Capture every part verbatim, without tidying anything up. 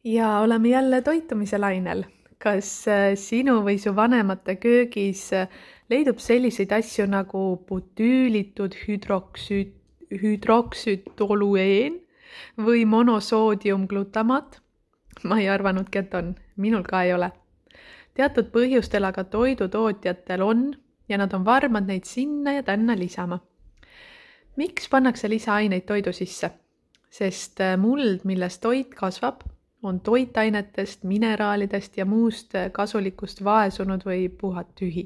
Ja oleme jälle toitumise lainel. Kas äh, sinu või su vanemate köögis äh, leidub selliseid asju nagu butüülitud hüdroksüt, hüdroksütolueen või monosoodiumglutamaat? Ma ei arvanudki, et on. Minul ka ei ole. Teatud põhjustel aga toidutootjatel on ja nad on varmad neid sinna ja tänna lisama. Miks pannakse lisaaineid toidu sisse? Sest äh, muld, milles toit kasvab, on toitainetest, mineraalidest ja muust kasulikust vaesunud või puhat tühi.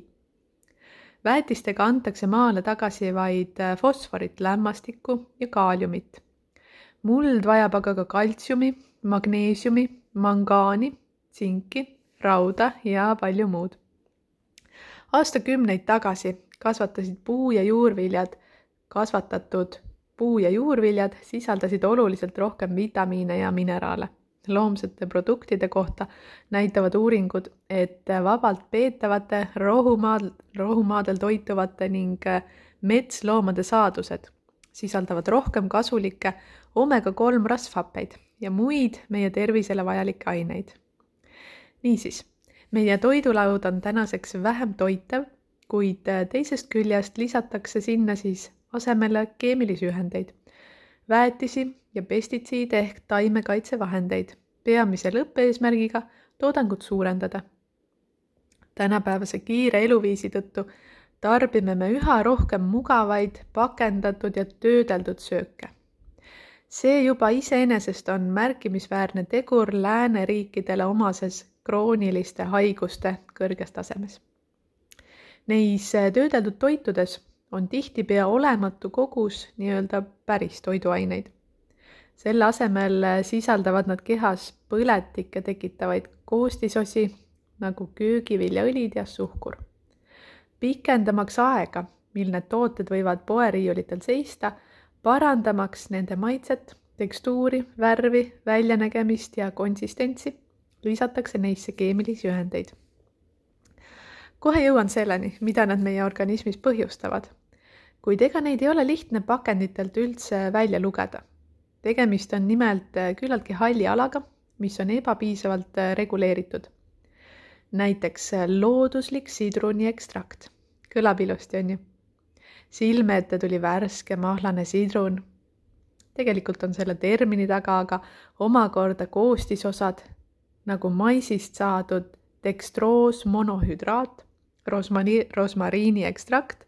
Väetistega antakse maale tagasi vaid fosforit, lämmastikku ja kaaliumit. Muld vajab aga ka kaltsiumi, magneesiumi, mangaani, tsinki, rauda ja palju muud. Aastakümneid tagasi kasvatasid puu- ja juurviljad, kasvatatud puu- ja juurviljad sisaldasid oluliselt rohkem vitamiine ja mineraale. Loomsete produktide kohta näitavad uuringud, et vabalt peetavate rohumaadel, rohumaadel toituvate ning metsloomade saadused sisaldavad rohkem kasulikke omega kolm rasvhappeid ja muid meie tervisele vajalikke aineid. Niisiis, meie toidulaud on tänaseks vähem toitev, kuid teisest küljest lisatakse sinna siis asemele keemilisi ühendeid, väetisi ja pestitsiide ehk taimekaitsevahendeid, peamise lõppeesmärgiga toodangut suurendada. Tänapäevase kiire eluviisi tõttu tarbime me üha rohkem mugavaid, pakendatud ja töödeldud sööke. See juba iseenesest on märkimisväärne tegur lääneriikidele omases krooniliste haiguste kõrges tasemes. Neis töödeldud toitudes on tihtipea olematu kogus nii-öelda päris toiduaineid. Selle asemel sisaldavad nad kehas põletikke tekitavaid koostisosi nagu köögiviljaõlid ja suhkur. Pikendamaks aega, mil need tooted võivad poeriiulitel seista, parandamaks nende maitset, tekstuuri, värvi, väljanägemist ja konsistentsi, lisatakse neisse keemilisi ühendeid. Kohe jõuan selleni, mida nad meie organismis põhjustavad. Kuid ega neid ei ole lihtne pakenditelt üldse välja lugeda. Tegemist on nimelt küllaltki halli alaga, mis on ebapiisavalt reguleeritud. Näiteks looduslik sidruniekstrakt. Kõlab ilusti, on ju? Silme ette tuli värske mahlane sidrun. Tegelikult on selle termini taga aga omakorda koostisosad, nagu maisist saadud dextroos monohüdraat, rosmari, rosmariini ekstrakt,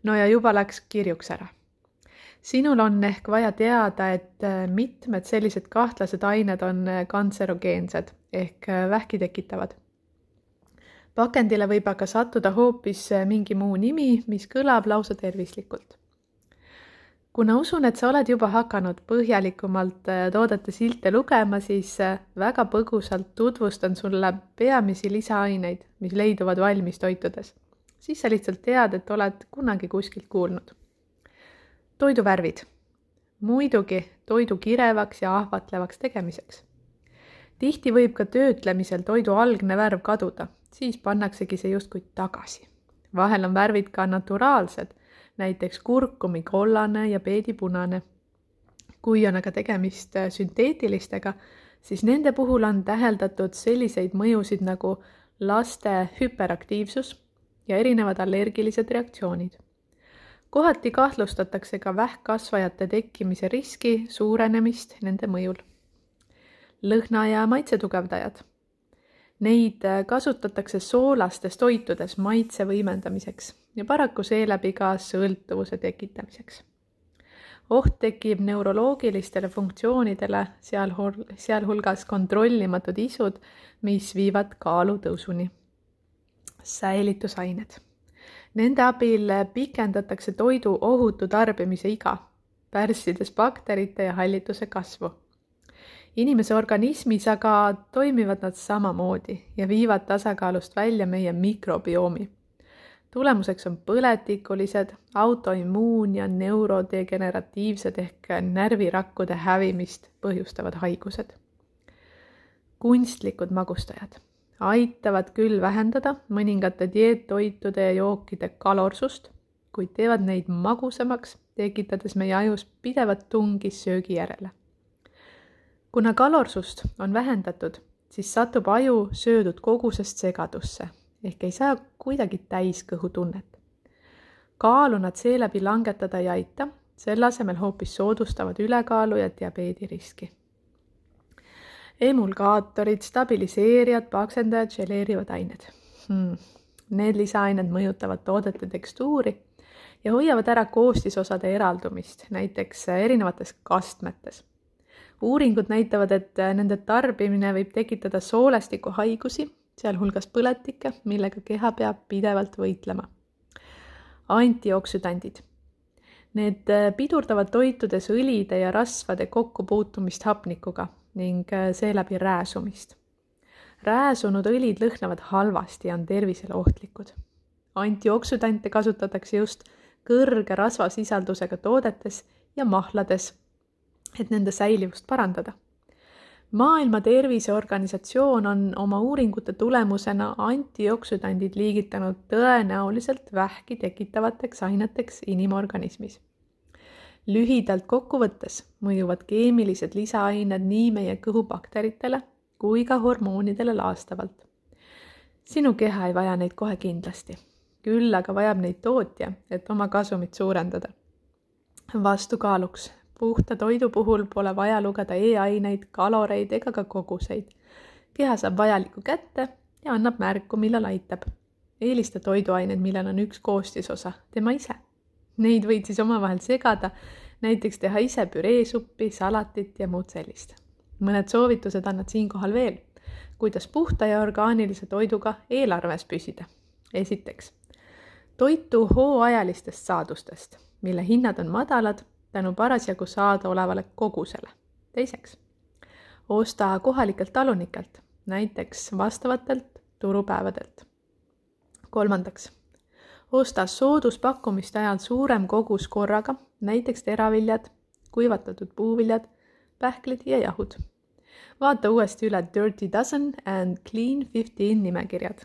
no ja juba läks kirjuks ära. Sinul on ehk vaja teada, et mitmed sellised kahtlased ained on kantserogeensed ehk vähki tekitavad. Pakendile võib aga sattuda hoopis mingi muu nimi, mis kõlab lausa tervislikult. Kuna usun, et sa oled juba hakanud põhjalikumalt toodete silte lugema, siis väga põgusalt tutvustan sulle peamisi lisaaineid, mis leiduvad valmis toitudes. Siis sa lihtsalt tead, et oled kunagi kuskilt kuulnud. Toiduvärvid. Muidugi toidu kirevaks ja ahvatlevaks tegemiseks. Tihti võib ka töötlemisel toidu algne värv kaduda, siis pannaksegi see justkui tagasi. Vahel on värvid ka naturaalsed, näiteks kurkumi kollane ja peedipunane. Kui on aga tegemist sünteetilistega, siis nende puhul on täheldatud selliseid mõjusid nagu laste hüperaktiivsus ja erinevad allergilised reaktsioonid. Kohati kahtlustatakse ka vähkkasvajate tekkimise riski suurenemist nende mõjul. Lõhna- ja maitsetugevdajad. Neid kasutatakse soolastes toitudes maitse võimendamiseks ja paraku seeläbi ka sõltuvuse tekitamiseks. Oht tekib neuroloogilistele funktsioonidele, sealhulgas kontrollimatud isud, mis viivad kaalu tõusuni. Säilitusained. Nende abil pikendatakse toidu ohutu tarbimise iga, pärssides bakterite ja hallituse kasvu. Inimese organismis aga toimivad nad samamoodi ja viivad tasakaalust välja meie mikrobiomi. Tulemuseks on põletikulised, autoimmuun- ja neurodegeneratiivsed ehk närvirakkude hävimist põhjustavad haigused. Kunstlikud magustajad aitavad küll vähendada mõningate dieettoitude ja jookide kalorsust, kuid teevad neid magusamaks, tekitades meie ajus pidevat tungi söögi järele. kuna kalorsust on vähendatud, siis satub aju söödud kogusest segadusse ehk ei saa kuidagi täiskõhutunnet. Kaalu nad seeläbi langetada ei aita, selle asemel hoopis soodustavad ülekaalu ja diabeediriski. Emulgaatorid, stabiliseerijad, paksendajad, želeerivad ained. Hmm. Need lisaained mõjutavad toodete tekstuuri ja hoiavad ära koostisosade eraldumist, näiteks erinevates kastmetes. Uuringud näitavad, et nende tarbimine võib tekitada soolestikuhaigusi, sealhulgas põletikke, millega keha peab pidevalt võitlema. Antioksüdandid. Need pidurdavad toitudes õlide ja rasvade kokkupuutumist hapnikuga ning seeläbi rääsumist. Rääsunud õlid lõhnavad halvasti ja on tervisele ohtlikud. Antioksüdante kasutatakse just kõrge rasvasisaldusega toodetes ja mahlades, et nende säilivust parandada. Maailma Terviseorganisatsioon on oma uuringute tulemusena antioksüdandid liigitanud tõenäoliselt vähki tekitavateks aineteks inimorganismis. Lühidalt kokkuvõttes mõjuvad keemilised lisaained nii meie kõhubakteritele kui ka hormoonidele laastavalt. Sinu keha ei vaja neid kohe kindlasti, küll aga vajab neid tootja, et oma kasumit suurendada. Vastukaaluks. Puhta toidu puhul pole vaja lugeda e-aineid, kaloreid ega ka koguseid. Keha saab vajalikku kätte ja annab märku, millal aitab. Eelista toiduained, millel on üks koostisosa, tema ise. Neid võid siis omavahel segada, näiteks teha ise püreesuppi, salatit ja muud sellist. Mõned soovitused annad siinkohal veel, kuidas puhta ja orgaanilise toiduga eelarves püsida. Esiteks, toitu hooajalistest saadustest, mille hinnad on madalad, tänu parasjagu saada olevale kogusele. Teiseks, osta kohalikelt talunikelt, näiteks vastavatelt turupäevadelt. Kolmandaks, osta sooduspakkumiste ajal suurem kogus korraga, näiteks teraviljad, kuivatatud puuviljad, pähklid ja jahud. Vaata uuesti üle Dirty Dozen and Clean viisteist nimekirjad.